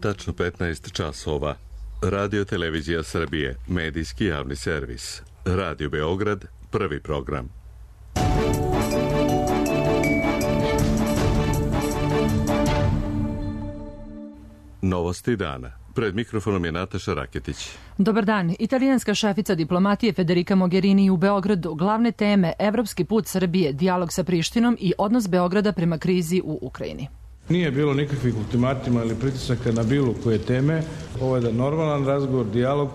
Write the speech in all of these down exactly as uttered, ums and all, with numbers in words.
tačno petnaest časova. Radio Televizija Srbije, medijski javni servis. Radio Beograd, prvi program. Novosti dana. Pred mikrofonom je Nataša Raketić. Dobar dan. Italijanska šefica diplomatije Federica Mogherini u Beogradu. Glavne teme: evropski put Srbije, dijalog sa Prištinom i odnos Beograda prema krizi u Ukrajini. Nije bilo nikakvih ultimatima ili pritisaka na bilo koje teme. Ovo je da normalan razgovor, dijalog.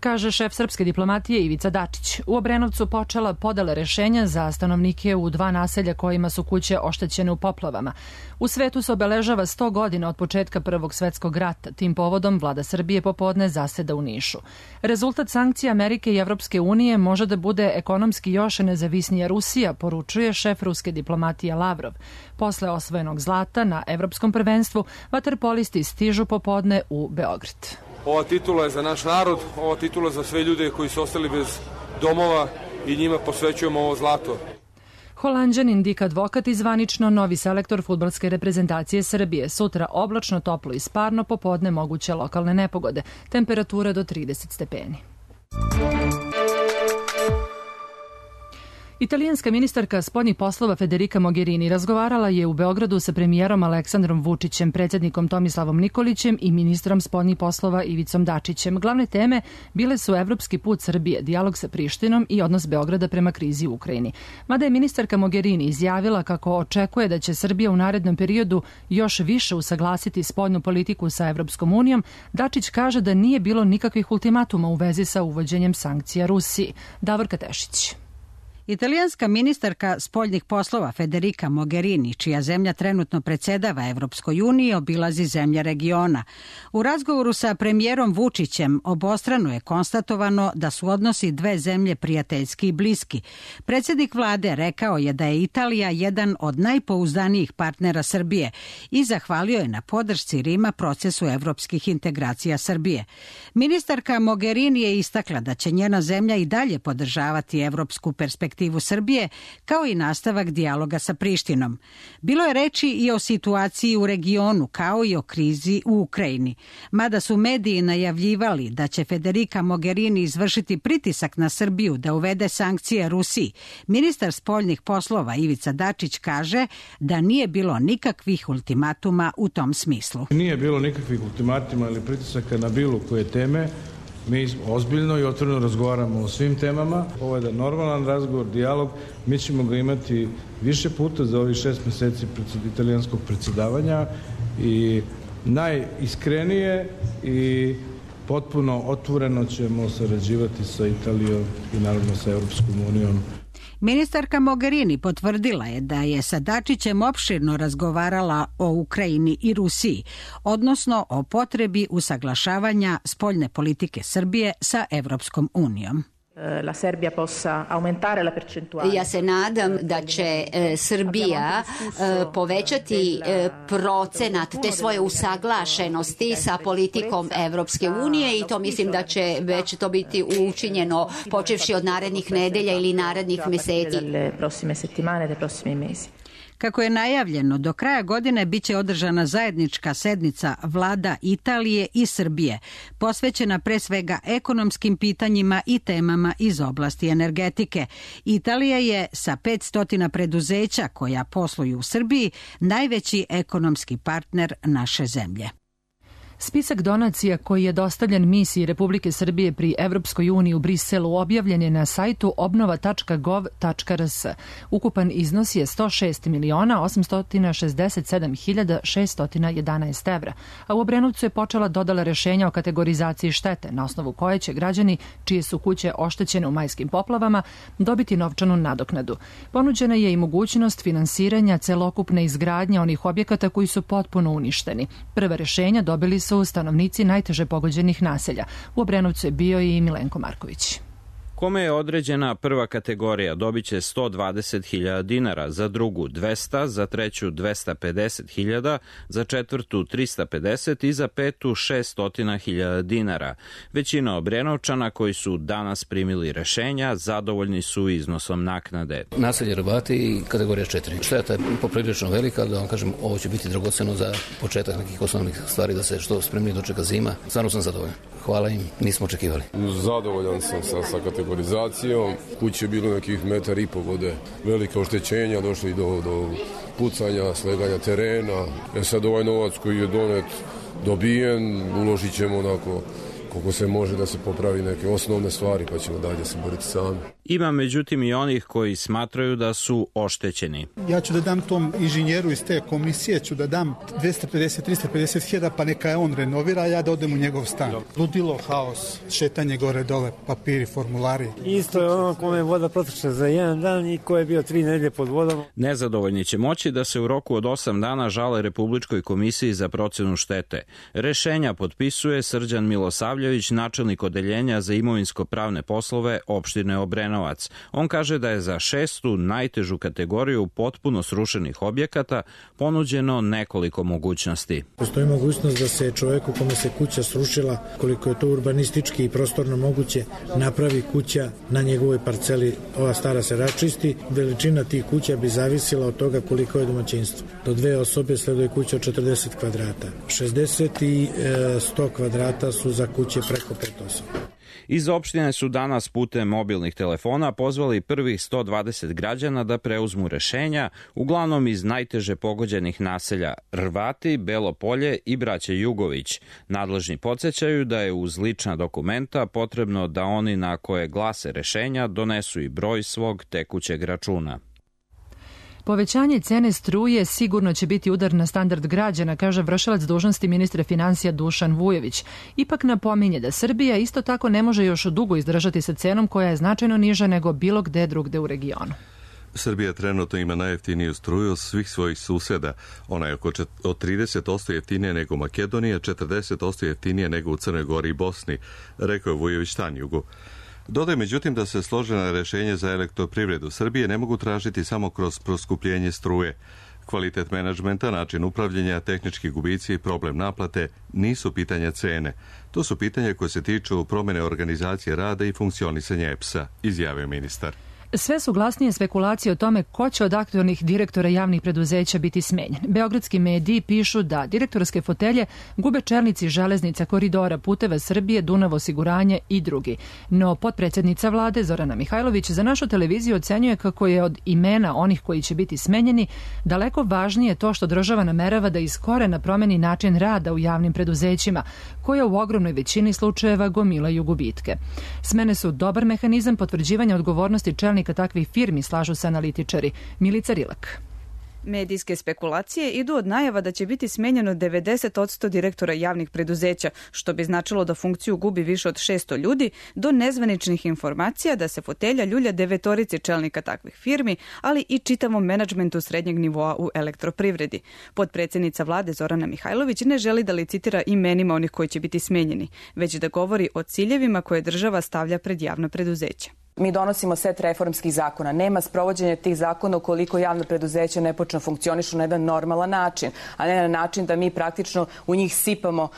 Kaže šef srpske diplomatije Ivica Dačić. U Obrenovcu počela podela rešenja za stanovnike u dva naselja kojima su kuće oštećene u poplavama. U svetu se obeležava sto godina od početka Prvog svetskog rata. Tim povodom vlada Srbije popodne zaseda u Nišu. Rezultat sankcija Amerike i Evropske unije može da bude ekonomski još nezavisnija Rusija, poručuje šef ruske diplomatije Lavrov. Posle osvojenog zlata na evropskom prvenstvu, vaterpolisti stižu popodne u Beograd. Ova titula je za naš narod, ova titula za sve ljude koji su ostali bez domova i njima posvećujemo ovo zlato. Holanđanin Dik Advokat i zvanično novi selektor fudbalske reprezentacije Srbije. Sutra oblačno, toplo i sparno, popodne moguće lokalne nepogode. Temperatura do trideset stepeni. Italijanska ministarka spoljnih poslova Federica Mogherini razgovarala je u Beogradu sa premijerom Aleksandrom Vučićem, predsjednikom Tomislavom Nikolićem i ministrom spoljnih poslova Ivicom Dačićem. Glavne teme bile su evropski put Srbije, dijalog sa Prištinom i odnos Beograda prema krizi u Ukrajini. Mada je ministarka Mogherini izjavila kako očekuje da će Srbija u narednom periodu još više usaglasiti spoljnu politiku sa Evropskom unijom, Dačić kaže da nije bilo nikakvih ultimatuma u vezi sa uvođenjem sankcija Rusiji. Davorka Tešić. Italijanska ministarka spoljnih poslova Federica Mogherini, čija zemlja trenutno predsedava Evropskoj uniji, obilazi zemlje regiona. U razgovoru sa premijerom Vučićem obostrano je konstatovano da su odnosi dve zemlje prijateljski i bliski. Predsjednik vlade rekao je da je Italija jedan od najpouzdanijih partnera Srbije i zahvalio je na podršci Rima procesu evropskih integracija Srbije. Ministarka Mogherini je istakla da će njena zemlja i dalje podržavati evropsku perspektivu Srbije, kao i nastavak dijaloga sa Prištinom. Bilo je reči i o situaciji u regionu, kao i o krizi u Ukrajini. Mada su mediji najavljivali da će Federica Mogherini izvršiti pritisak na Srbiju da uvede sankcije Rusiji, ministar spoljnih poslova Ivica Dačić kaže da nije bilo nikakvih ultimatuma u tom smislu. Nije bilo nikakvih ultimatima ili pritisaka na bilo koje teme. Mi ozbiljno i otvoreno razgovaramo o svim temama. Ovo je da normalan razgovor, dijalog. Mi ćemo ga imati više puta za ovih šest meseci italijanskog predsjedavanja i najiskrenije i potpuno otvoreno ćemo sarađivati sa Italijom i naravno sa Evropskom unijom. Ministarka Mogherini potvrdila je da je sa Dačićem opširno razgovarala o Ukrajini i Rusiji, odnosno o potrebi usaglašavanja spoljne politike Srbije sa Evropskom unijom. La Serbia possa aumentare la percentuale. Ja se nadam da će e, Srbija e, povećati e, procenat te svoje usaglašenosti sa politikom Evropske unije i to mislim da će već to biti učinjeno počevši od narednih nedelja ili narednih meseci. Prossime settimane, dei prossimi mesi. Kako je najavljeno, do kraja godine biće održana zajednička sednica vlada Italije i Srbije, posvećena pre svega ekonomskim pitanjima i temama iz oblasti energetike. Italija je sa petsto preduzeća koja posluju u Srbiji najveći ekonomski partner naše zemlje. Spisak donacija koji je dostavljen misiji Republike Srbije pri Evropskoj uniji u Briselu objavljen je na sajtu obnova tačka gov tačka rs. Ukupan iznos je sto šest miliona osamsto šezdeset sedam hiljada šeststo jedanaest evra, a u Obrenovcu je počela dodala rešenja o kategorizaciji štete, na osnovu koje će građani čije su kuće oštećene u majskim poplavama dobiti novčanu nadoknadu. Ponuđena je i mogućnost finansiranja celokupne izgradnje onih objekata koji su potpuno uništeni. Prva rešenja dobili su stanovnici najteže pogođenih naselja. U Obrenovcu je bio i Milenko Marković. Kome je određena prva kategorija dobit će sto dvadeset hiljada dinara, za drugu dvesta, za treću dvesta pedeset hiljada, za četvrtu trista pedeset i za petu šesto hiljada dinara. Većina Obrenovčana koji su danas primili rešenja zadovoljni su iznosom naknade. Naselje Hrvati i kategorija četiri. Šteta je poprilično velika, da vam kažem, ovo će biti dragoceno za početak nekih osnovnih stvari, da se što spremnije dočeka zima. Stvarno sam zadovoljan. Hvala im, nismo očekivali. Zadovoljan sam sa, sa kategorizacijom. Kuće je bilo nekih metar i po vode. Velika oštećenja, došli do, do pucanja, sleganja terena. E sad ovaj novac koji je donet, dobijen, uložit ćemo onako koliko se može da se popravi neke osnovne stvari, pa ćemo dalje se boriti sami. Ima međutim i onih koji smatraju da su oštećeni. Ja ću da dam tom inženjeru iz te komisije, ću da dam dvesta pedeset do trista pedeset hiljada, pa neka je on renovira, a ja da odem u njegov stan. Ludilo, haos, šetanje gore dole, papiri, formulari. Isto je ono kome je voda protekla za jedan dan i ko je bio tri nedelje pod vodom. Nezadovoljni će moći da se u roku od osam dana žale Republičkoj komisiji za procenu štete. Rešenja potpisuje Srđan Milosavljević, načelnik odeljenja za imovinsko-pravne poslove opštine Obrenovac. On kaže da je za šestu najtežu kategoriju potpuno srušenih objekata ponuđeno nekoliko mogućnosti. Postoji mogućnost da se čoveku kome se kuća srušila, koliko je to urbanistički i prostorno moguće, napravi kuća na njegovoj parceli. Ova stara se račisti. Veličina tih kuća bi zavisila od toga koliko je domaćinstvo. Do dve osobe sleduje kuća od četrdeset kvadrata. šezdeset i sto kvadrata su za kuće preko pet osoba. Iz opštine su danas putem mobilnih telefona pozvali prvih sto dvadeset građana da preuzmu rešenja, uglavnom iz najteže pogođenih naselja Hrvati, Belo Polje i braće Jugović. Nadležni podsjećaju da je uz lična dokumenta potrebno da oni na koje glase rešenja donesu i broj svog tekućeg računa. Povećanje cene struje sigurno će biti udar na standard građana, kaže vršilac dužnosti ministra finansija Dušan Vujović. Ipak napominje da Srbija isto tako ne može još dugo izdržati sa cenom koja je značajno niža nego bilo gde drugde u regionu. Srbija trenutno ima najjeftiniju struju od svih svojih suseda. Ona je oko od trideset posto jeftinija nego Makedonija, četrdeset posto jeftinija nego u Crnoj Gori i Bosni, rekao je Vujović Tanjugu. Dodaj međutim da se složena rešenja za elektroprivredu Srbije ne mogu tražiti samo kroz proskupljenje struje. Kvalitet menadžmenta, način upravljanja, tehnički gubici i problem naplate nisu pitanja cene. To su pitanja koje se tiču promjene organizacije rada i funkcionisanja E P S-a, izjavio ministar. Sve su glasnije spekulacije o tome ko će od aktualnih direktora javnih preduzeća biti smenjen. Beogradski mediji pišu da direktorske fotelje gube čelnici železnica, koridora, puteva Srbije, Dunav osiguranje i drugi. No potpredsjednica vlade Zorana Mihajlović za našu televiziju ocenjuje kako je od imena onih koji će biti smenjeni daleko važnije to što država namerava da iz korena promeni način rada u javnim preduzećima, koja u ogromnoj većini slučajeva gomilaju gubitke. Smene su dobar mehanizam potvrđivanja odgovornosti čelnika takvih firmi, slažu se analitičari. Milica Rilak. Medijske spekulacije idu od najava da će biti smenjeno devedeset posto direktora javnih preduzeća, što bi značilo da funkciju gubi više od šesto ljudi, do nezvaničnih informacija da se fotelja ljulja devetorici čelnika takvih firmi, ali i čitavom menadžmentu srednjeg nivoa u elektroprivredi. Potpredsjednica vlade Zorana Mihajlović ne želi da licitira imenima onih koji će biti smenjeni, već da govori o ciljevima koje država stavlja pred javna preduzeća. Mi donosimo set reformskih zakona. Nema sprovođenja tih zakona ukoliko javno preduzeće ne počne funkcionišu na jedan normalan način, a ne na način da mi praktično u njih sipamo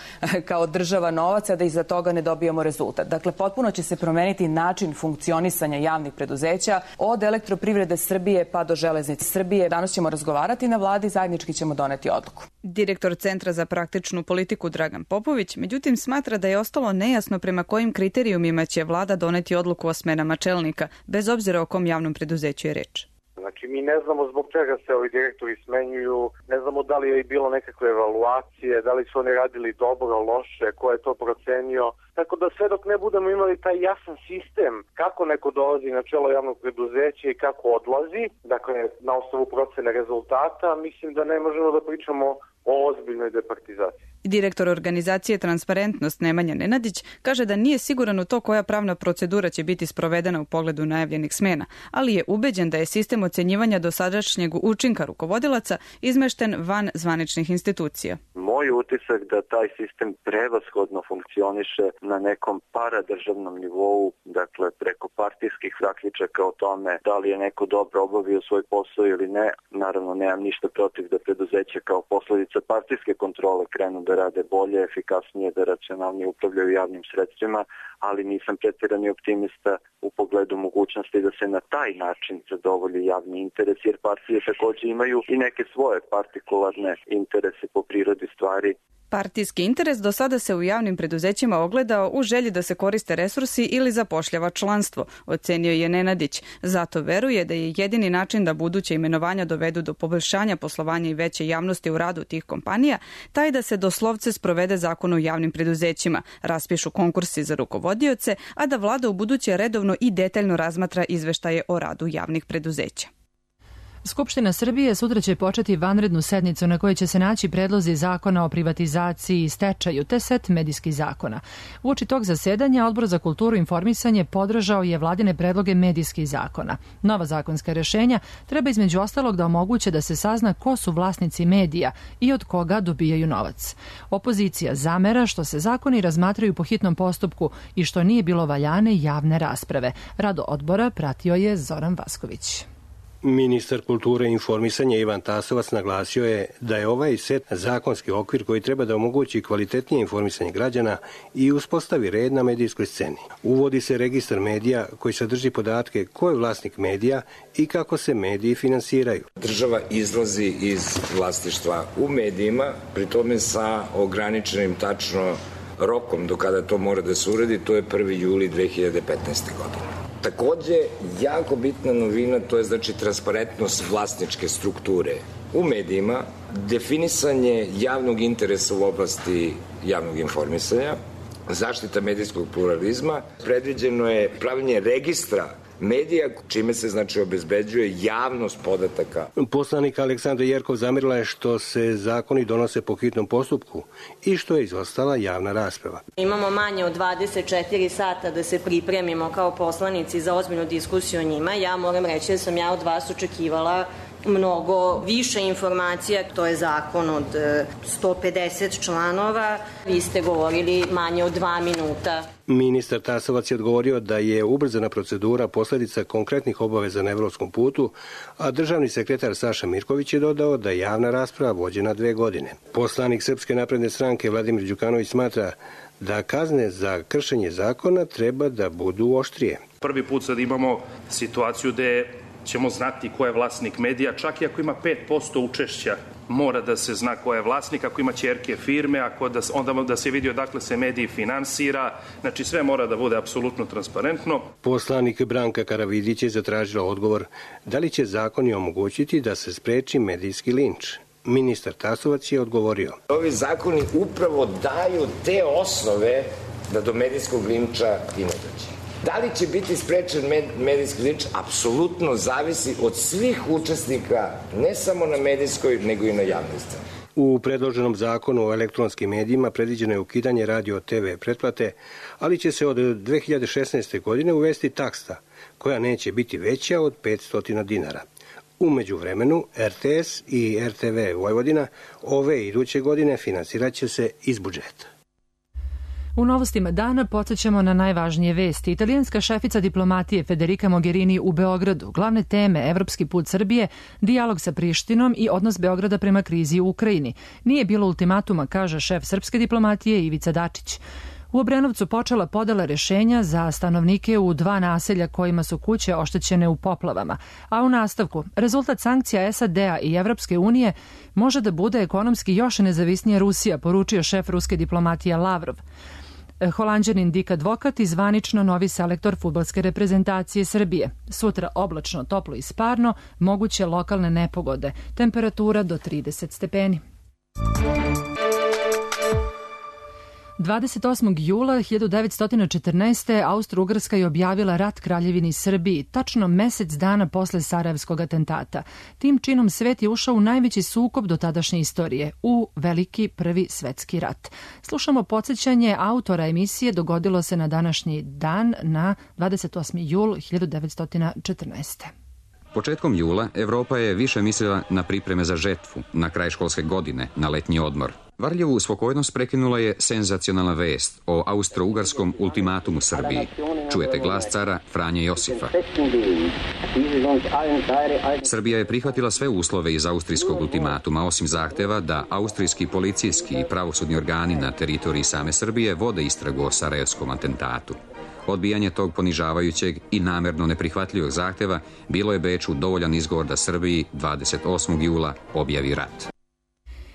kao država novaca, da iza toga ne dobijemo rezultat. Dakle, potpuno će se promeniti način funkcionisanja javnih preduzeća od elektroprivrede Srbije pa do železnice Srbije. Danas ćemo razgovarati na vladi, zajednički ćemo doneti odluku. Direktor Centra za praktičnu politiku Dragan Popović, međutim, smatra da je ostalo nejasno prema kojim kriterijumima će vlada doneti odluku o smenama čelnika, bez obzira o kom javnom preduzeću je reč. Znači, mi ne znamo zbog čega se ovi direktori smenjuju, ne znamo da li je bilo nekakve evaluacije, da li su oni radili dobro, loše, ko je to procenio. Tako da sve dok ne budemo imali taj jasan sistem kako neko dolazi na čelo javnog preduzeća i kako odlazi, dakle na osnovu procene rezultata, mislim da ne možemo da pričamo o ozbiljnoj departizaciji. Direktor organizacije Transparentnost Nemanja Nenadić kaže da nije siguran u to koja pravna procedura će biti sprovedena u pogledu najavljenih smena, ali je ubeđen da je sistem ocenjivanja dosadašnjeg učinka rukovodilaca izmešten van zvaničnih institucija. moj utisak da taj sistem prevashodno funkcioniše na nekom paradržavnom nivou, dakle preko partijskih zaključaka o tome da li je neko dobro obavio svoj posao ili ne. Naravno, nemam ništa protiv da preduzeća kao posledica partijske kontrole krenu da rade bolje, efikasnije, da racionalnije upravljaju javnim sredstvima, ali nisam preterani optimista u pogledu mogućnosti da se na taj način zadovolji javni interes, jer partije takođe imaju i neke svoje partikularne interese po prirodi stvari. Partijski interes do sada se u javnim preduzećima ogledao u želji da se koriste resursi ili zapošljava članstvo, ocenio je Nenadić. Zato veruje da je jedini način da buduće imenovanja dovedu do poboljšanja poslovanja i veće javnosti u radu tih kompanija, taj da se doslovce sprovede zakon o javnim preduzećima, raspišu konkursi za rukovodioce, a da vlada u buduće redovno i detaljno razmatra izveštaje o radu javnih preduzeća. Skupština Srbije sutra će početi vanrednu sednicu na kojoj će se naći predlozi zakona o privatizaciji i stečaju te set medijskih zakona. Uoči tog zasedanja Odbor za kulturu i informisanje podržao je vladine predloge medijskih zakona. Nova zakonska rešenja treba između ostalog da omoguće da se sazna ko su vlasnici medija i od koga dobijaju novac. Opozicija zamera što se zakoni razmatraju po hitnom postupku i što nije bilo valjane javne rasprave. Rado odbora pratio je Zoran Vasković. Ministar kulture i informisanja Ivan Tasovac naglasio je da je ovaj set zakonski okvir koji treba da omogući kvalitetnije informisanje građana i uspostavi red na medijskoj sceni. Uvodi se registar medija koji sadrži podatke ko je vlasnik medija i kako se mediji finansiraju. Država izlazi iz vlasništva u medijima, pri tome sa ograničenim tačno rokom do kada to mora da se uradi, to je prvi juli dve hiljade petnaeste. godine. Takođe, jako bitna novina, to je znači transparentnost vlasničke strukture u medijima, definisanje javnog interesa u oblasti javnog informisanja, zaštita medijskog pluralizma, predviđeno je pravljenje registra medija, čime se znači obezbeđuje javnost podataka. Poslanik Aleksandra Jerkov zamerila je što se zakoni donose po hitnom postupku i što je izostala javna rasprava. Imamo manje od dvadeset četiri sata da se pripremimo kao poslanici za ozbiljnu diskusiju o njima. Ja moram reći da sam ja od vas očekivala mnogo više informacija. To je zakon od sto pedeset članova. Vi ste govorili manje od dva minuta. Ministar Tasovac je odgovorio da je ubrzana procedura posledica konkretnih obaveza na evropskom putu, a državni sekretar Saša Mirković je dodao da je javna rasprava vođena dve godine. Poslanik Srpske napredne stranke Vladimir Đukanović smatra da kazne za kršenje zakona treba da budu oštrije. Prvi put sad imamo situaciju gde ćemo znati ko je vlasnik medija, čak i ako ima pet posto učešća, mora da se zna ko je vlasnik, ako ima ćerke firme, ako da, onda da se vidi odakle se mediji finansira, znači sve mora da bude apsolutno transparentno. Poslanik Branka Karavidić je zatražila odgovor da li će zakoni omogućiti da se spreči medijski linč. Ministar Tasovac je odgovorio. Ovi zakoni upravo daju te osnove da do medijskog linča i ne dođe. Da li će biti sprečen medijski linč? Apsolutno zavisi od svih učesnika, ne samo na medijskoj, nego i na javnoj sceni. U predloženom zakonu o elektronskim medijima predviđeno je ukidanje radio te ve pretplate, ali će se od dve hiljade šesnaeste. godine uvesti taksa, koja neće biti veća od petsto dinara. U međuvremenu, er te es i er te ve Vojvodina ove iduće godine finansirat će se iz budžeta. U novostima dana podsjećamo na najvažnije vesti. Italijanska šefica diplomatije Federica Mogherini u Beogradu. Glavne teme: evropski put Srbije, dijalog sa Prištinom i odnos Beograda prema krizi u Ukrajini. Nije bilo ultimatuma, kaže šef srpske diplomatije Ivica Dačić. U Obrenovcu počela podela rešenja za stanovnike u dva naselja kojima su kuće oštećene u poplavama. A u nastavku, rezultat sankcija es a de a i Evropske unije može da bude ekonomski još nezavisnija Rusija, poručio šef ruske diplomatije Lavrov. Holanđanin Dik Advokat i zvanično novi selektor fudbalske reprezentacije Srbije. Sutra oblačno, toplo i sparno, moguće lokalne nepogode. Temperatura do trideset stepeni. dvadeset osmog jula hiljadu devetsto četrnaeste. Austro-Ugarska je objavila rat Kraljevini Srbiji, tačno mesec dana posle Sarajevskog atentata. Tim činom svet je ušao u najveći sukob do tadašnje istorije, u Veliki prvi svetski rat. Slušamo podsjećanje autora emisije, dogodilo se na današnji dan, na dvadeset osmi jul hiljadu devetsto četrnaeste. Početkom jula Evropa je više mislila na pripreme za žetvu, na kraj školske godine, na letnji odmor. Varljevu spokojnost prekinula je senzacionalna vest o austro-ugarskom ultimatumu Srbiji. Čujete glas cara Franje Josifa. Srbija je prihvatila sve uslove iz austrijskog ultimatuma, osim zahteva da austrijski policijski i pravosudni organi na teritoriji same Srbije vode istragu o sarajevskom atentatu. Odbijanje tog ponižavajućeg i namerno neprihvatljivog zahteva bilo je Beču dovoljan izgovor da Srbiji dvadeset osmog jula objavi rat.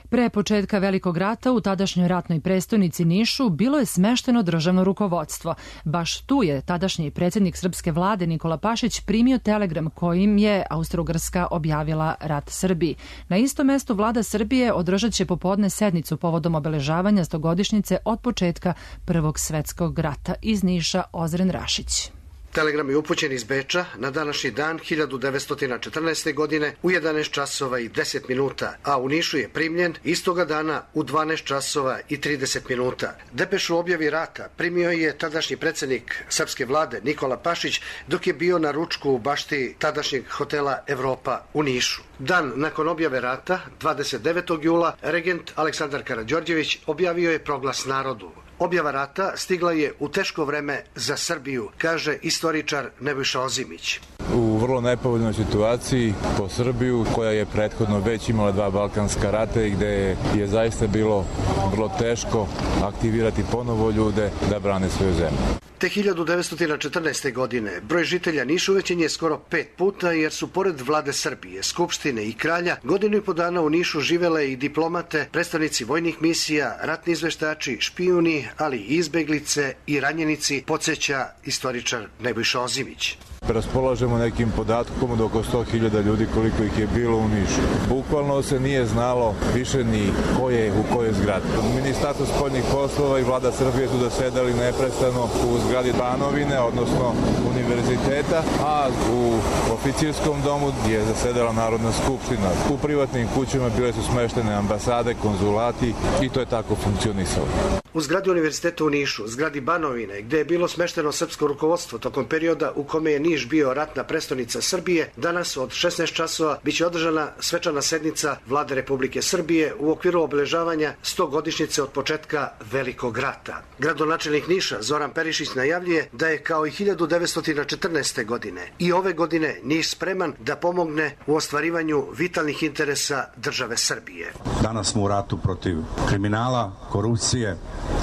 Pre početka Velikog rata u tadašnjoj ratnoj prestonici Nišu bilo je smešteno državno rukovodstvo. Baš tu je tadašnji predsjednik srpske vlade Nikola Pašić primio telegram kojim je Austro-Ugarska objavila rat Srbiji. Na istom mestu vlada Srbije održat će popodne sednicu povodom obeležavanja stogodišnjice od početka Prvog svetskog rata. Iz Niša Ozren Rašić. Telegram je upućen iz Beča na današnji dan hiljadu devetsto četrnaeste. godine u jedanaest časova i deset minuta, a u Nišu je primljen istoga dana u dvanaest časova i trideset minuta. Depešu o objavi rata primio je tadašnji predsjednik srpske vlade Nikola Pašić dok je bio na ručku u bašti tadašnjeg hotela Evropa u Nišu. Dan nakon objave rata, dvadeset devetog jula, regent Aleksandar Karađorđević objavio je proglas narodu. Objava rata stigla je u teško vreme za Srbiju, kaže istoričar Nebojša Ozimić. U vrlo nepovoljnoj situaciji po Srbiju, koja je prethodno već imala dva balkanska rata i gde je zaista bilo vrlo teško aktivirati ponovo ljude da brane svoju zemlju. Te hiljadu devetsto četrnaeste. godine broj žitelja Niša uvećen je skoro pet puta jer su pored vlade Srbije, Skupštine i kralja godinu i po dana u Nišu živele i diplomate, predstavnici vojnih misija, ratni izveštači, špijuni, ali i izbeglice i ranjenici, podsjeća istoričar Nebojša Ozimić. Raspolažemo nekim podatkom od oko sto hiljada ljudi koliko ih je bilo u Nišu. Bukvalno se nije znalo više ni ko je u kojoj zgradi. Ministarstvo spoljnih poslova i vlada Srbije su zasedali neprestano u zgradi Banovine, odnosno univerziteta, a u oficirskom domu je zasedala Narodna skupština. U privatnim kućama bile su smeštene ambasade, konzulati i to je tako funkcionisalo. U zgradi univerziteta u Nišu, zgradi Banovine, gde je bilo smešteno srpsko rukovodstvo tokom perioda u kome je Niš bio ratna prestonica Srbije, danas od šesnaest časova biće održana svečana sednica Vlade Republike Srbije u okviru obeležavanja stogodišnjice od početka Velikog rata. Gradonačelnik Niša Zoran Perišić najavljuje da je kao i hiljadu devetsto četrnaeste. godine i ove godine Niš spreman da pomogne u ostvarivanju vitalnih interesa države Srbije. Danas smo u ratu protiv kriminala, korupcije,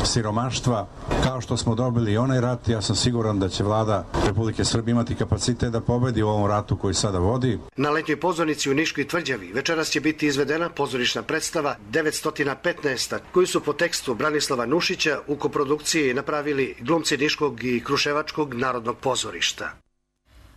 siromaštva. Kao što smo dobili onaj rat, ja sam siguran da će vlada Republike Srbije imati kapacitet da pobedi u ovom ratu koji sada vodi. Na letnjoj pozornici u Niškoj tvrđavi večeras će biti izvedena pozorišna predstava devetsto petnaest. koju su po tekstu Branislava Nušića u koprodukciji napravili glumci Niškog i Kruševačkog narodnog pozorišta.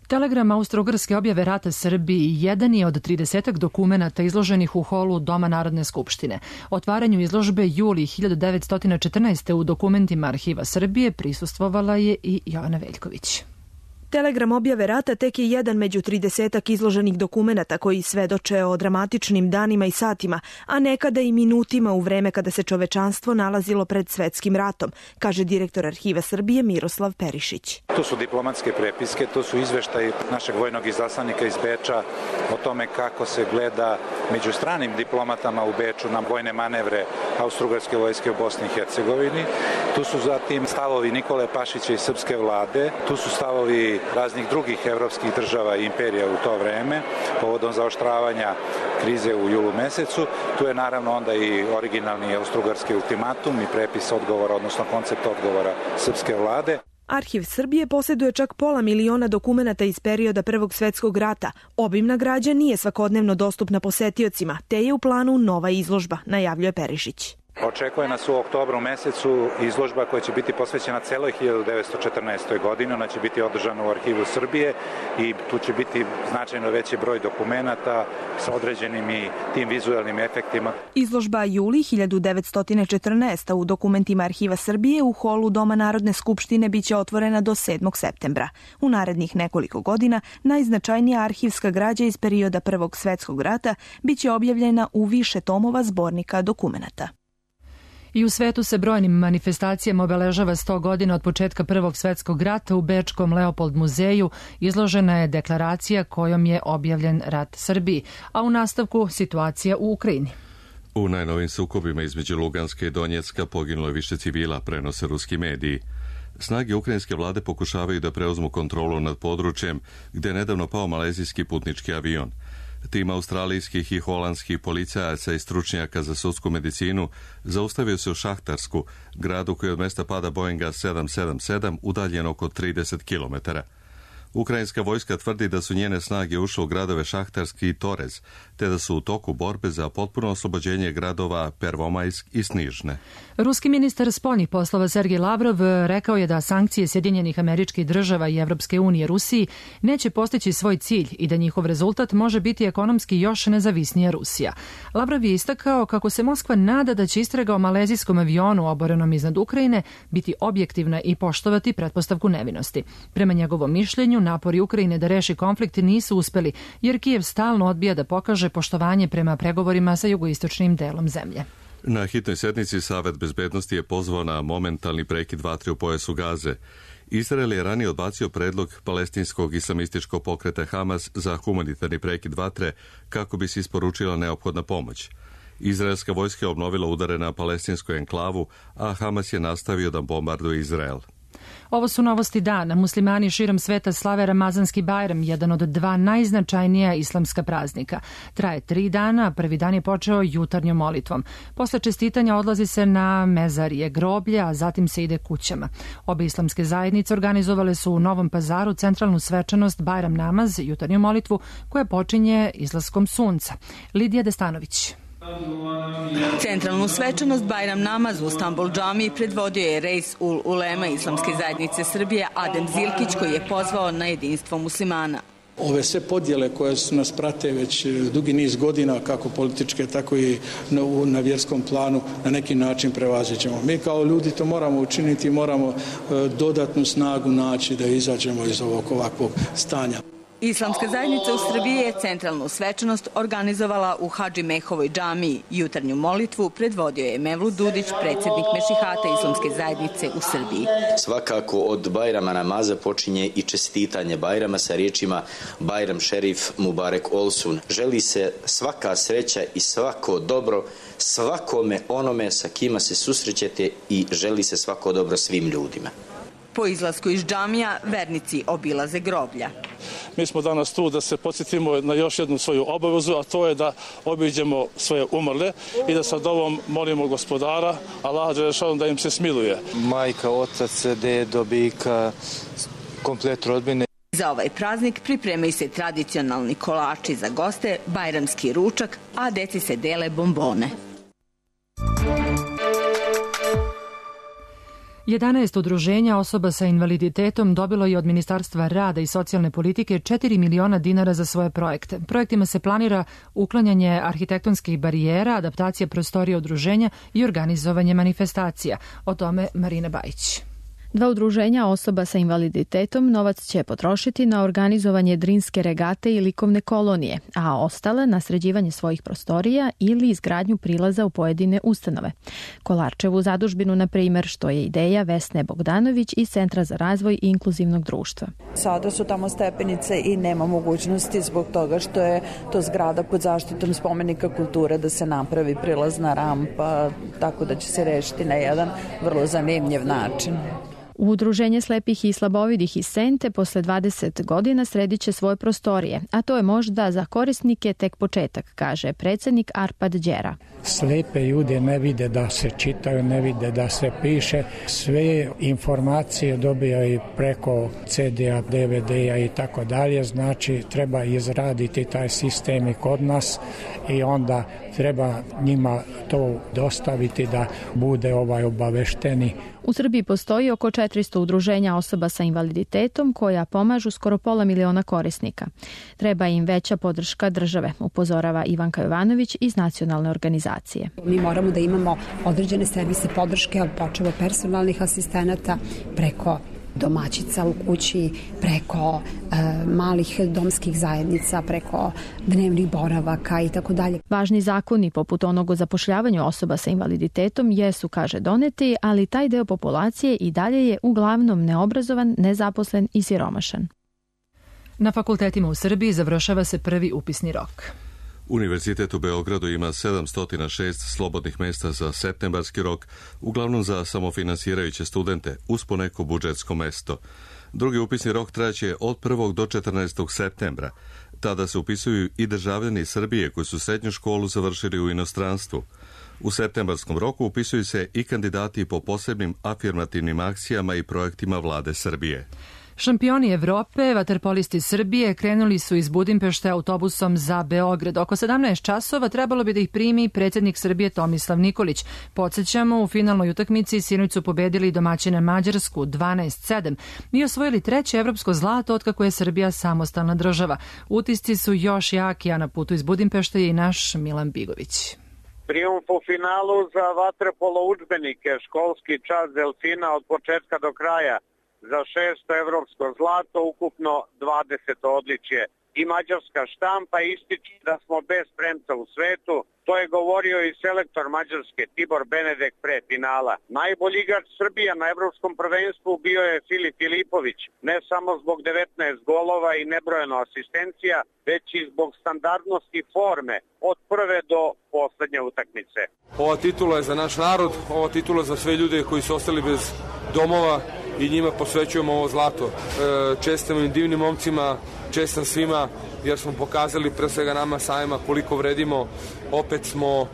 Telegram Austro-Ugarske objave rata Srbiji jedan je od tridesetak dokumenata izloženih u holu Doma Narodne skupštine. Otvaranju izložbe juli hiljadu devetsto četrnaeste. u dokumentima Arhiva Srbije prisustvovala je i Jovana Veljković. Telegram objave rata tek je jedan među tridesetak izloženih dokumenata koji svedoče o dramatičnim danima i satima, a nekada i minutima u vreme kada se čovečanstvo nalazilo pred svetskim ratom, kaže direktor Arhiva Srbije Miroslav Perišić. To su diplomatske prepiske, to su izveštaji našeg vojnog izaslanika iz Beča o tome kako se gleda među stranim diplomatama u Beču na vojne manevre Austro-Ugarske vojske u Bosni i Hercegovini. Tu su zatim stavovi Nikole Pašića i srpske vlade, tu su stavovi raznih drugih evropskih država i imperija u to vreme, povodom zaoštravanja krize u julu mesecu. Tu je naravno onda i originalni austro-ugarski ultimatum i prepis odgovora, odnosno koncept odgovora srpske vlade. Arhiv Srbije posjeduje čak pola miliona dokumenata iz perioda Prvog svetskog rata. Obimna građa nije svakodnevno dostupna posetiocima, te je u planu nova izložba, najavljuje Perišić. Očekuje nas u oktobru mesecu izložba koja će biti posvećena celoj hiljadu devetsto četrnaestoj. godini. Ona će biti održana u Arhivu Srbije i tu će biti značajno veći broj dokumenata sa određenim i tim vizualnim efektima. Izložba juli hiljadu devetsto četrnaeste. u dokumentima Arhiva Srbije u holu Doma Narodne skupštine biće otvorena do sedmog septembra. U narednih nekoliko godina najznačajnija arhivska građa iz perioda Prvog svetskog rata biće objavljena u više tomova zbornika dokumenata. I u svetu se brojnim manifestacijama obeležava sto godina od početka Prvog svetskog rata. U Bečkom Leopold muzeju izložena je deklaracija kojom je objavljen rat Srbiji, a u nastavku situacija u Ukrajini. U najnovim sukobima između Luganska i Donjecka poginulo je više civila, prenose ruski mediji. Snage ukrajinske vlade pokušavaju da preuzmu kontrolu nad područjem gde je nedavno pao malezijski putnički avion. Tim australijskih i holandskih policajaca i stručnjaka za sudsku medicinu zaustavio se u Šahtarsku, gradu koji od mesta pada Boeinga sedam sedam sedam udaljen oko trideset kilometara. Ukrajinska vojska tvrdi da su njene snage ušle u gradove Šahtarski i Torez, te da su u toku borbe za potpuno oslobođenje gradova Pervomajsk i Snižne. Ruski ministar spoljnih poslova Sergej Lavrov rekao je da sankcije Sjedinjenih Američkih Država i Evropske unije Rusiji neće postići svoj cilj i da njihov rezultat može biti ekonomski još nezavisnija Rusija. Lavrov je istakao kako se Moskva nada da će istraga o malezijskom avionu oborenom iznad Ukrajine biti objektivna i poštovati pretpostavku nevinosti. Prema njegovom mišljenju, napori Ukrajine da reši konflikt nisu uspeli, jer Kijev stalno odbija da pokaže poštovanje prema pregovorima sa jugoistočnim delom zemlje. Na hitnoj sednici Savet bezbednosti je pozvao na momentalni prekid vatre u pojasu Gaze. Izrael je ranije odbacio predlog palestinskog islamističkog pokreta Hamas za humanitarni prekid vatre kako bi se isporučila neophodna pomoć. Izraelska vojska je obnovila udare na palestinsku enklavu, a Hamas je nastavio da bombarduje Izrael. Ovo su novosti dana. Muslimani širom sveta slave Ramazanski Bajram, jedan od dva najznačajnija islamska praznika. Traje tri dana, prvi dan je počeo jutarnjom molitvom. Posle čestitanja odlazi se na mezarije, groblje, a zatim se ide kućama. Obe islamske zajednice organizovale su u Novom Pazaru centralnu svečanost Bajram namaz, jutarnju molitvu, koja počinje izlaskom sunca. Lidija Destanović. Centralnu svečanost Bajram namaz u Stambol džamiji predvodio je Reis ul Ulema Islamske zajednice Srbije Adem Zilkić, koji je pozvao na jedinstvo muslimana. Ove sve podjele koje su nas prate već dugi niz godina, kako političke, tako i na, na vjerskom planu, na neki način prevaziđemo. Mi kao ljudi to moramo učiniti, moramo dodatnu snagu naći da izađemo iz ovog ovakvog stanja. Islamska zajednica u Srbiji je centralnu svečanost organizovala u Hadži Mehovoj džamiji. Jutarnju molitvu predvodio je Mevlut Dudić, predsjednik Mešihata Islamske zajednice u Srbiji. Svakako od Bajrama namaza počinje i čestitanje Bajrama sa riječima Bajram Šerif Mubarek Olsun. Želi se svaka sreća i svako dobro svakome onome sa kima se susrećete i želi se svako dobro svim ljudima. Po izlasku iz džamija vernici obilaze groblja. Mi smo danas tu da se podsjetimo na još jednu svoju obavezu, a to je da obiđemo svoje umrle i da sa dovom molimo Gospodara, Allaha dželešanu, da im se smiluje. Majka, otac, dedo, bika, komplet rodbine. Za ovaj praznik pripremaju se tradicionalni kolači za goste, bajramski ručak, a deci se dele bombone. jedanaest udruženja osoba sa invaliditetom dobilo je od Ministarstva rada i socijalne politike četiri miliona dinara za svoje projekte. Projektima se planira uklanjanje arhitektonskih barijera, adaptacija prostorija udruženja i organizovanje manifestacija. O tome Marina Bajić. Dva udruženja osoba sa invaliditetom novac će potrošiti na organizovanje drinske regate i likovne kolonije, a ostale na sređivanje svojih prostorija ili izgradnju prilaza u pojedine ustanove. Kolarčevu zadužbinu, na primer, što je ideja Vesne Bogdanović iz Centra za razvoj inkluzivnog društva. Sada su tamo stepenice i nema mogućnosti zbog toga što je to zgrada pod zaštitom spomenika kulture da se napravi prilazna rampa, tako da će se rešiti na jedan vrlo zanimljiv način. Udruženje slepih i slabovidih iz Sente posle dvadeset godina sredit će svoje prostorije, a to je možda za korisnike tek početak, kaže predsjednik Arpad Đera. Slepe ljude ne vide da se čitaju, ne vide da se piše. Sve informacije dobijaju preko ce de a, de ve de a i tako dalje. Znači treba izraditi taj sistem i kod nas i onda treba njima to dostaviti da bude ovaj obavešteni. U Srbiji postoji oko četiristo udruženja osoba sa invaliditetom koja pomažu skoro pola miliona korisnika. Treba im veća podrška države, upozorava Ivanka Jovanović iz nacionalne organizacije. Mi moramo da imamo određene servise podrške, počevo personalnih asistenata preko domaćica u kući, preko e, malih domskih zajednica, preko dnevnih boravaka i tako dalje. Važni zakoni poput onog o zapošljavanju osoba sa invaliditetom jesu, kaže, doneti, ali taj deo populacije i dalje je uglavnom neobrazovan, nezaposlen i siromašan. Na fakultetima u Srbiji završava se prvi upisni rok. Univerzitet u Beogradu ima sedamsto šest slobodnih mesta za septembarski rok, uglavnom za samofinansirajuće studente, uz poneko budžetsko mesto. Drugi upisni rok trajaće od prvog do četrnaestog septembra. Tada se upisuju i državljani Srbije koji su srednju školu završili u inostranstvu. U septembarskom roku upisuju se i kandidati po posebnim afirmativnim akcijama i projektima vlade Srbije. Šampioni Evrope, vaterpolisti Srbije, krenuli su iz Budimpešte autobusom za Beograd. Oko sedamnaest časova trebalo bi da ih primi predsjednik Srbije Tomislav Nikolić. Podsjećamo, u finalnoj utakmici sinoć su pobedili domaćine Mađarsku dvanaest sedam i osvojili treće evropsko zlato otkako je Srbija samostalna država. Utisci su još jaki, a na putu iz Budimpešte je i naš Milan Bigović. Trijumf u finalu za vaterpolo udžbenike, školski čas Delfina od početka do kraja. Za šesto evropsko zlato, ukupno dvadeset odličje. I mađarska štampa ističe da smo bez premca u svetu. To je govorio i selektor Mađarske Tibor Benedek pre finala. Najbolji igrač Srbija na evropskom prvenstvu bio je Filip Filipović. Ne samo zbog devetnaest golova i nebrojeno asistencija, već i zbog standardnosti forme od prve do poslednje utakmice. Ova titula je za naš narod, ova titula je za sve ljude koji su ostali bez domova i njima posvećujemo ovo zlato. Čestitam im divnim momcima, čestitam svima jer smo pokazali pre svega nama samima koliko vredimo. Opet smo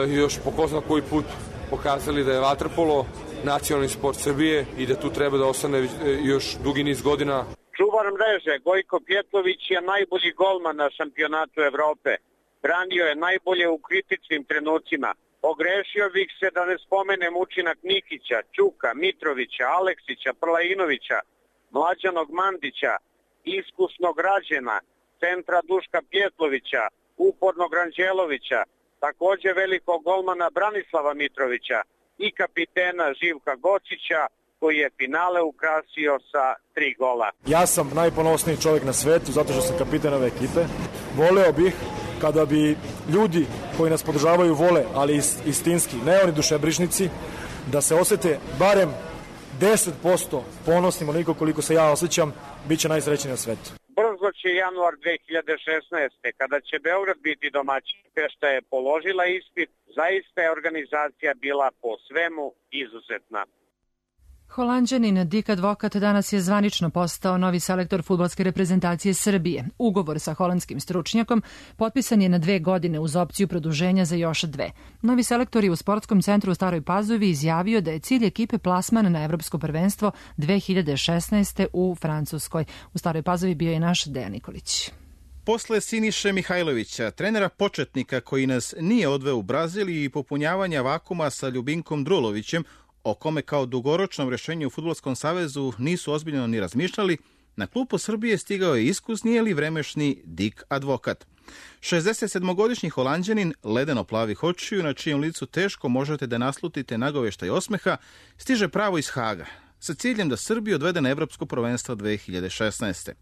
još po ko zna koji put pokazali da je vaterpolo nacionalni sport Srbije i da tu treba da ostane još dugi niz godina. Čuvar mreže Gojko Pjetlović je najbolji golman na šampionatu Evrope. Branio je najbolje u kritičnim trenucima. Ogrešio bih se da ne spomenem učinak Nikića, Ćuka, Mitrovića, Aleksića, Prlajinovića, Mlađanog Mandića, iskusnog Rađena, centra Duška Pjetlovića, upornog Ranđelovića, takođe velikog golmana Branislava Mitrovića i kapitena Živka Gočića, koji je finale ukrasio sa tri gola. Ja sam najponosniji čovjek na svetu zato što sam kapitan ove ekipe. Voleo bih kada bi ljudi koji nas podržavaju vole, ali istinski, ne oni dušebrižnici, da se osete barem deset posto ponosnim, onoliko koliko se ja osjećam, bit će najsrećniji na svetu. Brzo će januar dve hiljade šesnaeste. kada će Beograd biti domaćin. Pešta je položila ispit, zaista je organizacija bila po svemu izuzetna. Holanđanin Dick Advokat danas je zvanično postao novi selektor fudbalske reprezentacije Srbije. Ugovor sa holandskim stručnjakom potpisan je na dve godine uz opciju produženja za još dve. Novi selektor je u sportskom centru u Staroj Pazovi izjavio da je cilj ekipe plasman na evropsko prvenstvo dve hiljade šesnaeste. u Francuskoj. U Staroj Pazovi bio je naš Dejan Nikolić. Posle Siniše Mihajlovića, trenera početnika koji nas nije odveo u Brazil i popunjavanja vakuma sa Ljubinkom Drulovićem, o kome kao dugoročnom rešenju u Fudbalskom savezu nisu ozbiljno ni razmišljali, na klupu Srbije stigao je iskusni ili vremešni Dick Advokat. šezdesetsedmogodišnji Holanđanin, ledeno plavih očiju, na čijem licu teško možete da naslutite nagoveštaj osmeha, stiže pravo iz Haga, sa ciljem da Srbiju odvede na evropsko prvenstvo dve hiljade šesnaeste.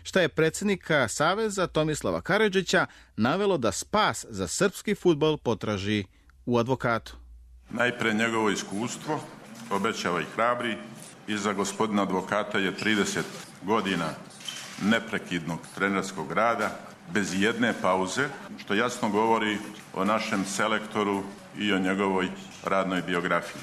Šta je predsjednika Saveza Tomislava Karadžića navelo da spas za srpski fudbal potraži u Advokatu? Najpre njegovo iskustvo, obećava i hrabri, iza gospodina Advokata je trideset godina neprekidnog trenerskog rada, bez jedne pauze, što jasno govori o našem selektoru i o njegovoj radnoj biografiji.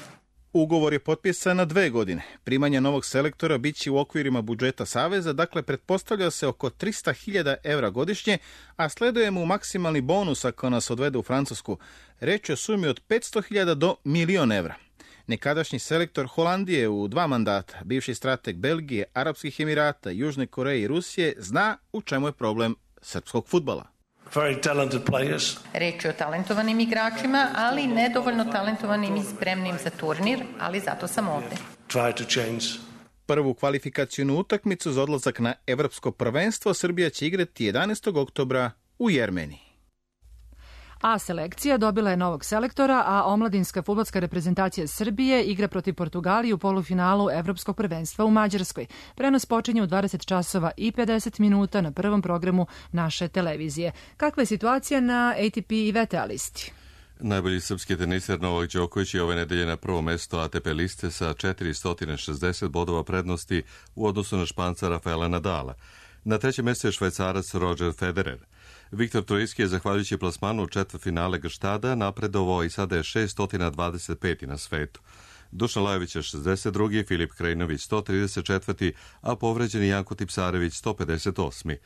Ugovor je potpisan na dve godine. Primanje novog selektora biće u okvirima budžeta Saveza, dakle pretpostavlja se oko trista hiljada evra godišnje, a sleduje mu maksimalni bonus ako nas odvede u Francusku. Reč je o sumi od petsto hiljada do milion evra. Nekadašnji selektor Holandije u dva mandata, bivši strateg Belgije, Arapskih Emirata, Južne Koreje i Rusije, zna u čemu je problem srpskog fudbala. Reč je o talentovanim igračima, ali nedovoljno talentovanim i spremnim za turnir, ali zato sam ovde. Prvu kvalifikacijnu utakmicu za odlazak na evropsko prvenstvo Srbija će igrati jedanaestog oktobra u Jermeniji. A selekcija dobila je novog selektora, a omladinska fudbalska reprezentacija Srbije igra protiv Portugalije u polufinalu Evropskog prvenstva u Mađarskoj. Prenos počinje u dvadeset časova i pedeset minuta na prvom programu naše televizije. Kakva je situacija na A T P i V T A listi? Najbolji srpski teniser Novak Đoković je ove nedelje na prvo mesto A T P liste sa četiristo šezdeset bodova prednosti u odnosu na Španca Rafaela Nadala. Na trećem mjestu je Švajcarac Roger Federer. Viktor Trojski je zahvaljujući plasmanu u četvrtfinale Gštada napredovao i sada je šesto dvadeset peti na svetu. Dušan Lajović je šezdeset drugi, Filip Krajinović sto trideset četvrti, a povređeni Janko Tipsarević sto pedeset osmi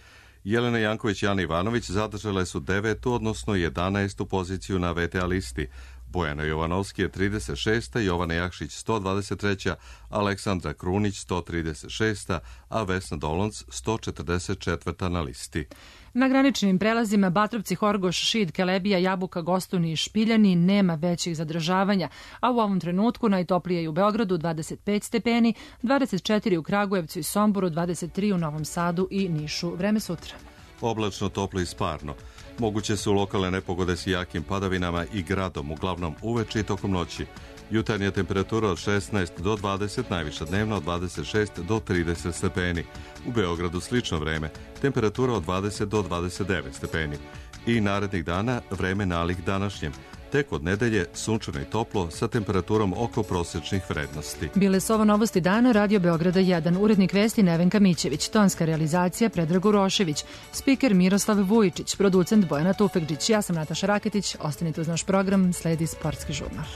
Jelena Janković i Ana Ivanović zadržale su devetu, odnosno jedanaestu poziciju na V T A listi. Bojana Jovanovski je trideset šesta, Jovana Jakšić sto dvadeset treća, Aleksandra Krunić sto trideset šesta, a Vesna Dolonc sto četrdeset četvrta na listi. Na graničnim prelazima Batrovci, Horgoš, Šid, Kelebija, Jabuka, Gostuni i Špiljani nema većih zadržavanja, a u ovom trenutku najtoplije je u Beogradu dvadeset pet stepeni, dvadeset četiri u Kragujevcu i Somboru, dvadeset tri u Novom Sadu i Nišu. Vreme sutra. Oblačno, toplo i sparno. Moguće su lokalne nepogode s jakim padavinama i gradom, uglavnom uveče i tokom noći. Jutarnja temperatura od šesnaest do dvadeset, najviša dnevna od dvadeset šest do trideset stepeni. U Beogradu slično vreme, temperatura od dvadeset do dvadeset devet stepeni. I narednih dana vreme nalik današnjem. Tek od nedelje sunčano i toplo sa temperaturom oko prosječnih vrednosti. Bile su ovo novosti dana, Radio Beograda jedan, urednik vesti Nevenka Mićević, tonska realizacija Predrag Urošević, spiker Miroslav Vujičić, producent Bojana Tufekđić. Ja sam Nataša Raketić, ostanite uz naš program, sledi Sportski žurnal.